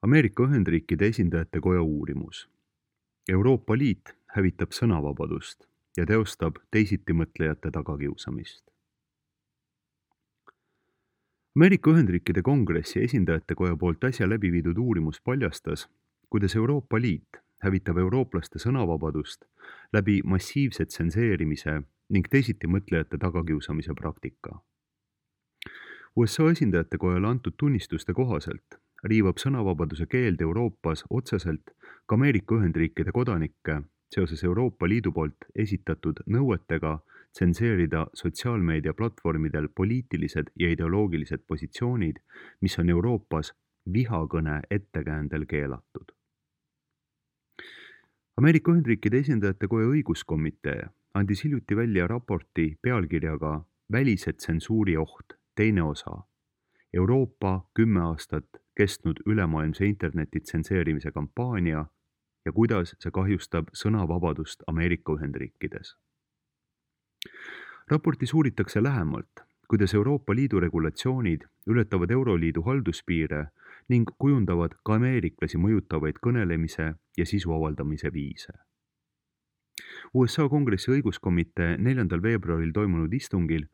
Ameerika Ühendriikide esindajate koja uurimus. Euroopa Liit hävitab sõnavabadust ja teostab teisitimõtlejate tagakiusamist. Ameerika Ühendriikide Kongressi esindajate koja poolt äsja läbi viidud uurimus paljastas, kuidas Euroopa Liit hävitab eurooplaste sõnavabadust läbi massiivse tsenseerimise ning teisitimõtlejate tagakiusamise praktika. USA esindajate kojale antud tunnistuste kohaselt riivab sõnavabaduse keeld Euroopas otseselt ka Ameerika Ühendriikide kodanikke seoses Euroopa Liidu poolt esitatud nõuetega tsenseerida sotsiaalmeedia platvormidel poliitilised ja ideoloogilised positsioonid, mis on Euroopas vihakõne ettekäändel keelatud. Ameerika Ühendriikide esindajate koja õiguskomitee andis hiljuti välja raporti pealkirjaga Välise tsensuuri oht, teine osa. Euroopa 10 aastat kestnud ülemaailmse interneti tsenseerimise kampaania ja kuidas see kahjustab sõnavabadust Ameerika Ühendriikides. Raportis uuritakse lähemalt, kuidas Euroopa Liidu regulatsioonid ületavad Euroliidu halduspiire ning kujundavad ka ameeriklasi mõjutavaid kõnelemise ja sisu avaldamise viise. USA Kongressi õiguskomitee 4. veebruaril toimunud istungil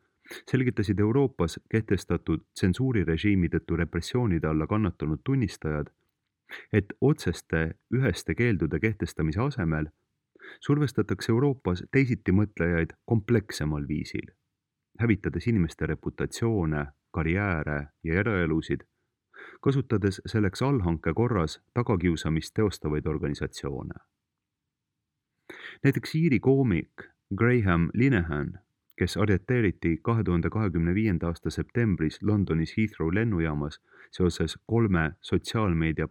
selgitasid Euroopas kehtestatud tsensuurirežiimi tõttu repressioonide alla kannatanud tunnistajad, et otseste üheste keeldude kehtestamise asemel survestatakse Euroopas teisitimõtlejaid komplekssemal viisil, hävitades inimeste reputatsioone, karjääre ja eraelusid, kasutades selleks allhanke korras tagakiusamist teostavaid organisatsioone. Näiteks Iiri koomik Graham Linehan, kes arreteeriti 2025. aasta septembris Londonis Heathrow lennujaamas seoses 3 sotsiaalmeedia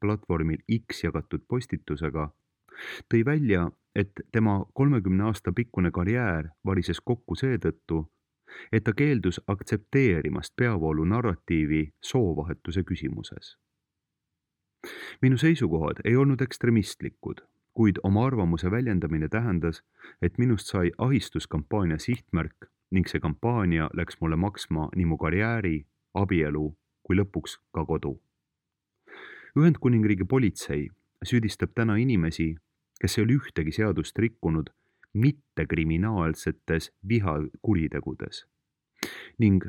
platvormil X jagatud postitusega, tõi välja, et tema 30 aasta pikkune karjäär varises kokku seetõttu, et ta keeldus aktsepteerimast peavoolu narratiivi soovahetuse küsimuses. Minu seisukohad ei olnud ekstremistlikud, kuid oma arvamuse väljendamine tähendas, et minust sai ahistuskampaania sihtmärk ning see kampaania läks mulle maksma nii mu karjääri, abielu kui lõpuks ka kodu. Ühendkuningriigi politsei süüdistab täna inimesi, kes ei ole ühtegi seadust rikkunud, mittekriminaalsetes vihakuritegudes. Ning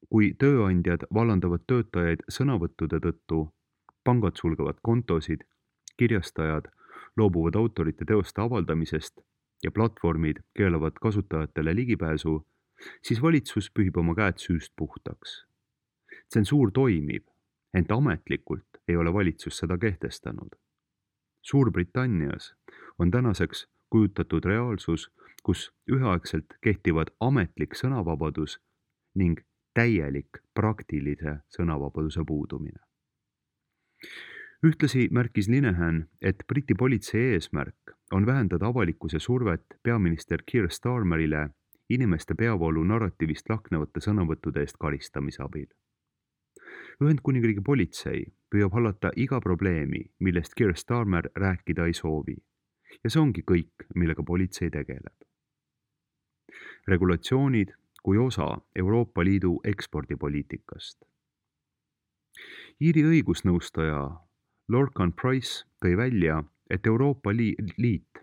kui tööandjad vallandavad töötajaid sõnavõttude tõttu, pangad sulgevad kontosid, kirjastajad loobuvad autorite teoste avaldamisest ja platvormid keelavad kasutajatele ligipääsu, siis valitsus pühib oma käed süüst puhtaks. Tsensuur toimib, ent ametlikult ei ole valitsus seda kehtestanud. Suurbritannias on tänaseks kujutatud reaalsus, kus üheaegselt kehtivad ametlik sõnavabadus ning täielik praktilise sõnavabaduse puudumine. Ühtlasi märkis Linehan, et Briti politsei eesmärk on vähendada avalikkuse survet peaminister Keir Starmerile inimeste peavoolu narratiivist lahknevate sõnavõttude eest karistamise abil. Ühendkuningriigi politsei püüab hallata iga probleemi, millest Keir Starmer rääkida ei soovi, ja see ongi kõik, millega politsei tegeleb. Regulatsioonid kui osa Euroopa Liidu ekspordipoliitikast. Iiri õigusnõustaja Lorcan Price tõi välja, et Euroopa Liit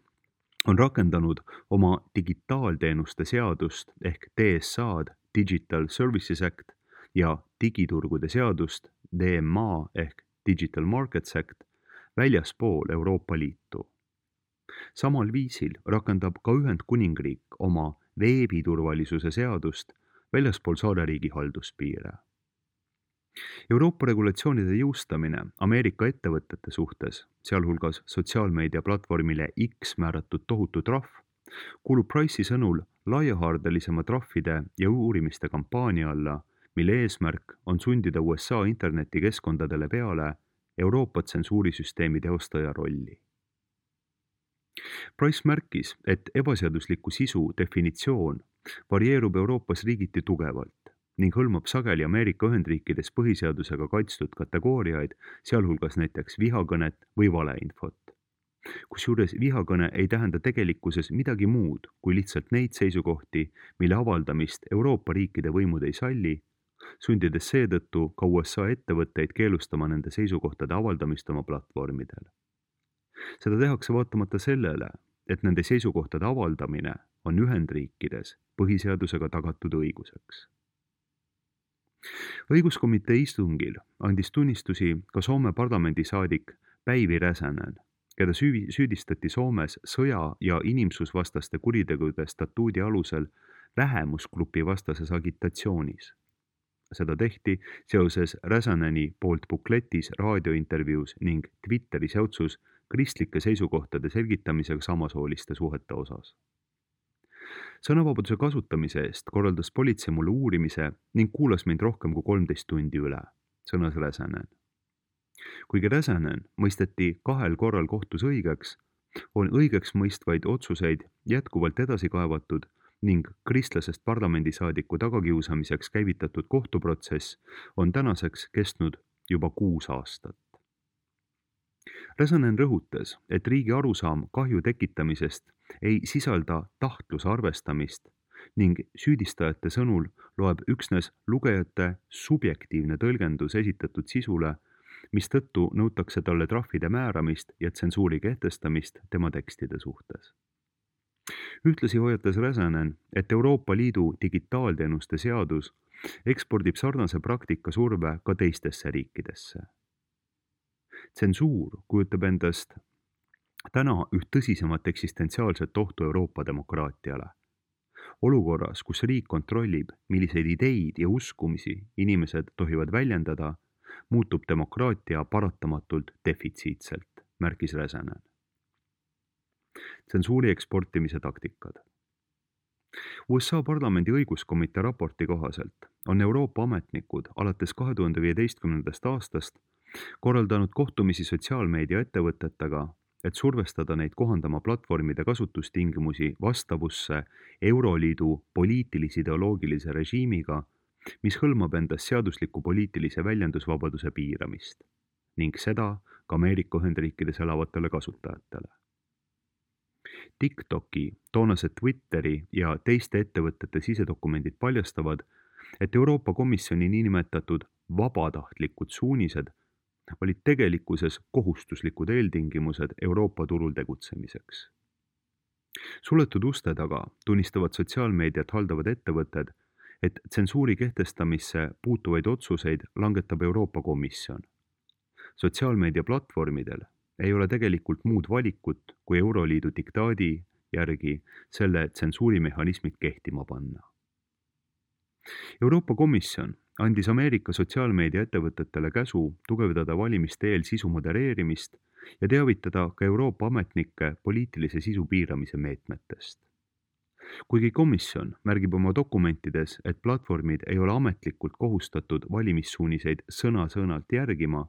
on rakendanud oma digitaalteenuste seadust ehk DSA-d, Digital Services Act ja digiturgude seadust, DMA ehk Digital Markets Act, väljaspool Euroopa Liitu. Samal viisil rakendab ka Ühendkuningriik oma veebiturvalisuse seadust väljaspool saareriigi halduspiire. Euroopa regulatsioonide jõustamine Ameerika ettevõtete suhtes, sealhulgas sotsiaalmeedia platvormile X määratud tohutu trahv, kuulub Price'i sõnul laiahaardelisema trahvide ja uurimiste kampaania alla, mille eesmärk on sundida USA internetikeskkondadele peale Euroopa tsensuurisüsteemi teostaja rolli. Price märkis, et ebaseadusliku sisu definitsioon varieerub Euroopas riigiti tugevalt ning hõlmab sageli Ameerika Ühendriikides põhiseadusega kaitstud kategooriaid, sealhulgas näiteks vihakõnet või valeinfot. Kusjuures vihakõne ei tähenda tegelikkuses midagi muud kui lihtsalt neid seisukohti, mille avaldamist Euroopa riikide võimud ei salli, sundides seetõttu ka USA ettevõtteid keelustama nende seisukohtade avaldamist oma platvormidel. Seda tehakse vaatamata sellele, et nende seisukohtade avaldamine on Ühendriikides põhiseadusega tagatud õiguseks. Õiguskomitee istungil andis tunnistusi ka Soome parlamendisaadik Päivi Räsänen, keda süüdistati Soomes sõja- ja inimsusvastaste kuritegude statuudi alusel vähemusgrupi vastases agitatsioonis. Seda tehti seoses Räsäneni poolt bukletis, raadiointervjuus ning Twitteri säutsus kristlike seisukohtade selgitamisega samasooliste suhete osas. Sõnavabaduse kasutamise eest korraldas politsei mulle uurimise ning kuulas mind rohkem kui 13 tundi üle, sõnas Räsänen. Kuigi Räsänen mõisteti 2 korral kohtus õigeks, on õigeks mõistvaid otsuseid jätkuvalt edasi kaevatud ning kristlasest parlamendisaadiku tagakiusamiseks käivitatud kohtuprotsess on tänaseks kestnud juba 6 aastat. Räsänen rõhutas, et riigi arusaam kahju tekitamisest ei sisalda tahtluse arvestamist ning süüdistajate sõnul loeb üksnes lugejate subjektiivne tõlgendus esitatud sisule, mistõttu nõutakse talle trahvide määramist ja tsensuuri kehtestamist tema tekstide suhtes. Ühtlasi hoiatas Räsänen, et Euroopa Liidu digitaalteenuste seadus ekspordib sarnase praktika surve ka teistesse riikidesse. Tsensuur kujutab endast täna üht tõsisemat eksistentsiaalset ohtu Euroopa demokraatiale. Olukorras, kus riik kontrollib, milliseid ideid ja uskumisi inimesed tohivad väljendada, muutub demokraatia paratamatult defitsiitselt, märkis Räsänen. Tsensuuri eksportimise taktikad. USA parlamendi õiguskomitee raporti kohaselt on Euroopa ametnikud alates 2015. aastast korraldanud kohtumisi sotsiaalmeedia ettevõtetega, et survestada neid kohandama platvormide kasutustingimusi vastavusse Euroliidu poliitilis-ideoloogilise režiimiga, mis hõlmab endas seadusliku poliitilise väljendusvabaduse piiramist ning seda ka Ameerika Ühendriikides elavatele kasutajatele. TikToki, toonase Twitteri ja teiste ettevõtete sisedokumendid paljastavad, et Euroopa Komisjoni niinimetatud vabatahtlikud suunised olid tegelikkuses kohustuslikud eeltingimused Euroopa turul tegutsemiseks. Suletud uste taga tunnistavad sotsiaalmeediat haldavad ettevõtted, et tsensuuri kehtestamisse puutuvaid otsuseid langetab Euroopa Komisjon. Sotsiaalmeedia platvormidel ei ole tegelikult muud valikut, kui Euroliidu diktaadi järgi selle tsensuurimehhanismid kehtima panna. Euroopa Komisjon andis Ameerika sotsiaalmeedia ettevõtetele käsu tugevdada valimiste eel sisu modereerimist ja teavitada ka Euroopa ametnikke poliitilise sisu piiramise meetmetest. Kuigi komisjon märgib oma dokumentides, et platvormid ei ole ametlikult kohustatud valimissuuniseid sõna-sõnalt järgima,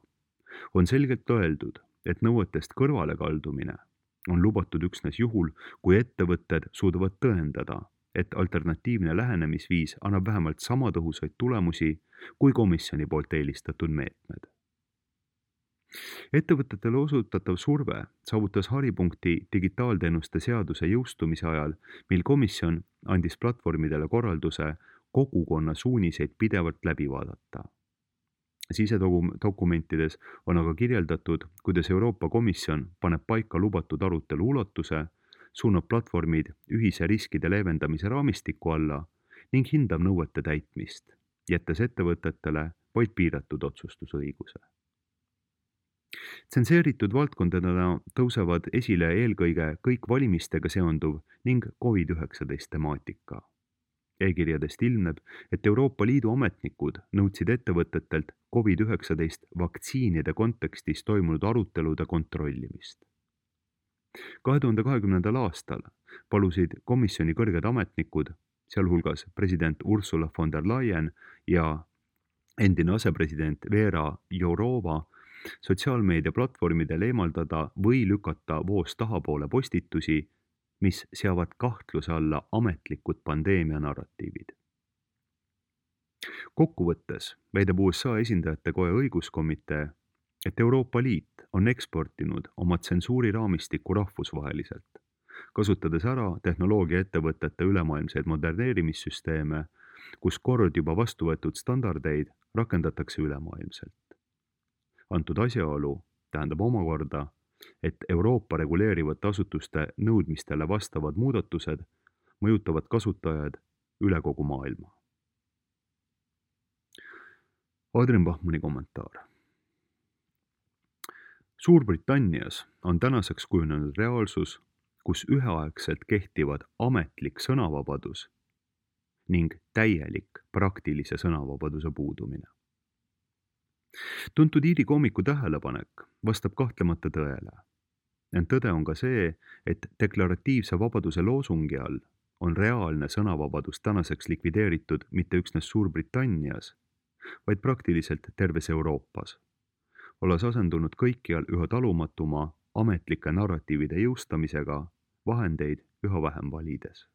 on selgelt öeldud, et nõuetest kõrvalekaldumine on lubatud üksnes juhul, kui ettevõtted suudavad tõendada, et alternatiivne lähenemisviis annab vähemalt sama tõhusaid tulemusi kui komisjoni poolt eelistatud meetmed. Ettevõtetele osutatav surve saavutas haripunkti digitaalteenuste seaduse jõustumise ajal, mil komisjon andis platvormidele korralduse kogukonna suuniseid pidevalt läbi vaadata. Sisedokumentides on aga kirjeldatud, kuidas Euroopa Komisjon paneb paika lubatud arutelu ulatuse, suunab platvormid ühise riskide leevendamise raamistiku alla ning hindab nõuete täitmist, jättes ettevõtetele vaid piiratud otsustusõiguse. Tsenseeritud valdkondadena tõusevad esile eelkõige kõik valimistega seonduv ning COVID-19 temaatika. E-kirjadest ilmneb, et Euroopa Liidu ametnikud nõudsid ettevõtetelt COVID-19 vaktsiinide kontekstis toimunud arutelude kontrollimist. 2020. aastal palusid komisjoni kõrged ametnikud, sealhulgas president Ursula von der Leyen ja endine asepresident Vera Jourova, sotsiaalmeedia platvormidel eemaldada või lükata voos tahapoole postitusi, mis seavad kahtluse alla ametlikud pandeemia narratiivid. Kokkuvõttes väidab USA esindajate koja õiguskomitee, et Euroopa Liit on eksportinud oma tsensuuriraamistikku rahvusvaheliselt, kasutades ära tehnoloogiaettevõtete ülemaailmseid moderneerimissüsteeme kus kord juba vastu võetud standardeid rakendatakse ülemaailmselt. Antud asjaolu tähendab omakorda, et Euroopa reguleerivate asutuste nõudmistele vastavad muudatused mõjutavad kasutajaid üle kogu maailma. Adrian Bachmanni kommentaar. Suurbritannias on tänaseks kujunenud reaalsus, kus üheaegselt kehtivad ametlik sõnavabadus ning täielik praktilise sõnavabaduse puudumine. Tuntud Iiri koomiku tähelepanek vastab kahtlemata tõele. Ent tõde on ka see, et deklaratiivse vabaduse loosungi all on reaalne sõnavabadus tänaseks likvideeritud mitte üksnes Suurbritannias, vaid praktiliselt terves Euroopas, olles asendunud kõikjal üha talumatuma ametlike narratiivide jõustamisega vahendeid üha vähem valides.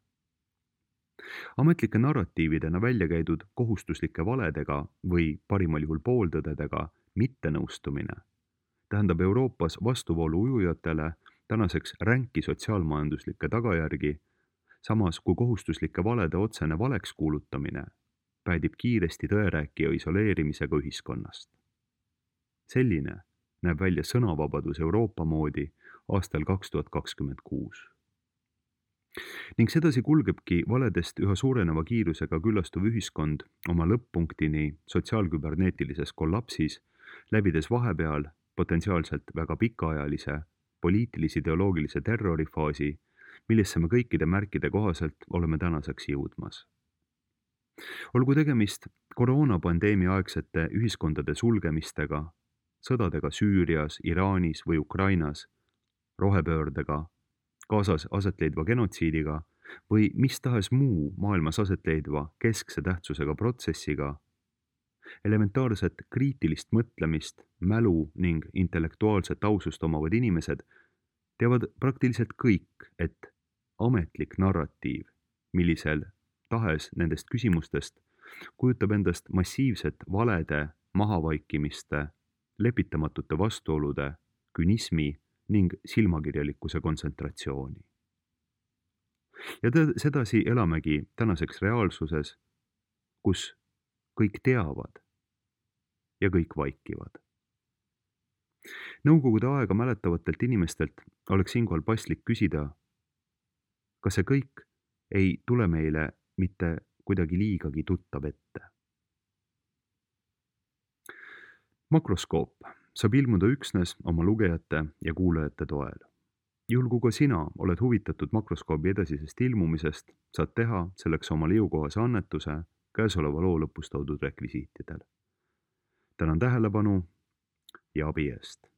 Ametlike narratiividena välja käidud kohustuslike valedega või parimal juhul pooltõdedega mittenõustumine tähendab Euroopas vastuvoolu ujujatele tänaseks ränki sotsiaalmajanduslikke tagajärgi, samas kui kohustuslike valede otsene valeks kuulutamine päädib kiiresti tõerääkija isoleerimisega ühiskonnast. Selline näeb välja sõnavabadus Euroopa moodi aastal 2026. Ning sedasi kulgebki valedest üha suureneva kiirusega küllastuv ühiskond oma lõpp-punktini sotsiaalküberneetilises kollapsis, läbides vahepeal potentsiaalselt väga pikaajalise poliitilis-ideoloogilise terrorifaasi, millesse me kõikide märkide kohaselt oleme tänaseks jõudmas. Olgu tegemist koroonapandeemia aegsete ühiskondade sulgemistega, sõdadega Süürias, Iraanis või Ukrainas, rohepöördega, kaasas asetleidva genotsiidiga või mis tahes muu maailmas asetleidva keskse tähtsusega protsessiga, elementaarset kriitilist mõtlemist, mälu ning intellektuaalset ausust omavad inimesed teavad praktiliselt kõik, et ametlik narratiiv, millisel tahes nendest küsimustest kujutab endast massiivset valede, mahavaikimiste, lepitamatute vastuolude, künismi ning silmakirjalikkuse kontsentratsiooni. Ja sedasi elamegi tänaseks reaalsuses, kus kõik teavad ja kõik vaikivad. Nõukogude aega mäletavatelt inimestelt oleks siinkohal paslik küsida, kas see kõik ei tule meile mitte kuidagi liigagi tuttav ette. Makroskoop saab ilmuda üksnes oma lugejate ja kuulajate toel. Juhul kui ka sina oled huvitatud makroskoobi edasisest ilmumisest, saad teha selleks omale jõukohase annetuse käesoleva loo lõpus toodud rekvisiitidel. Tänan tähelepanu ja abi eest!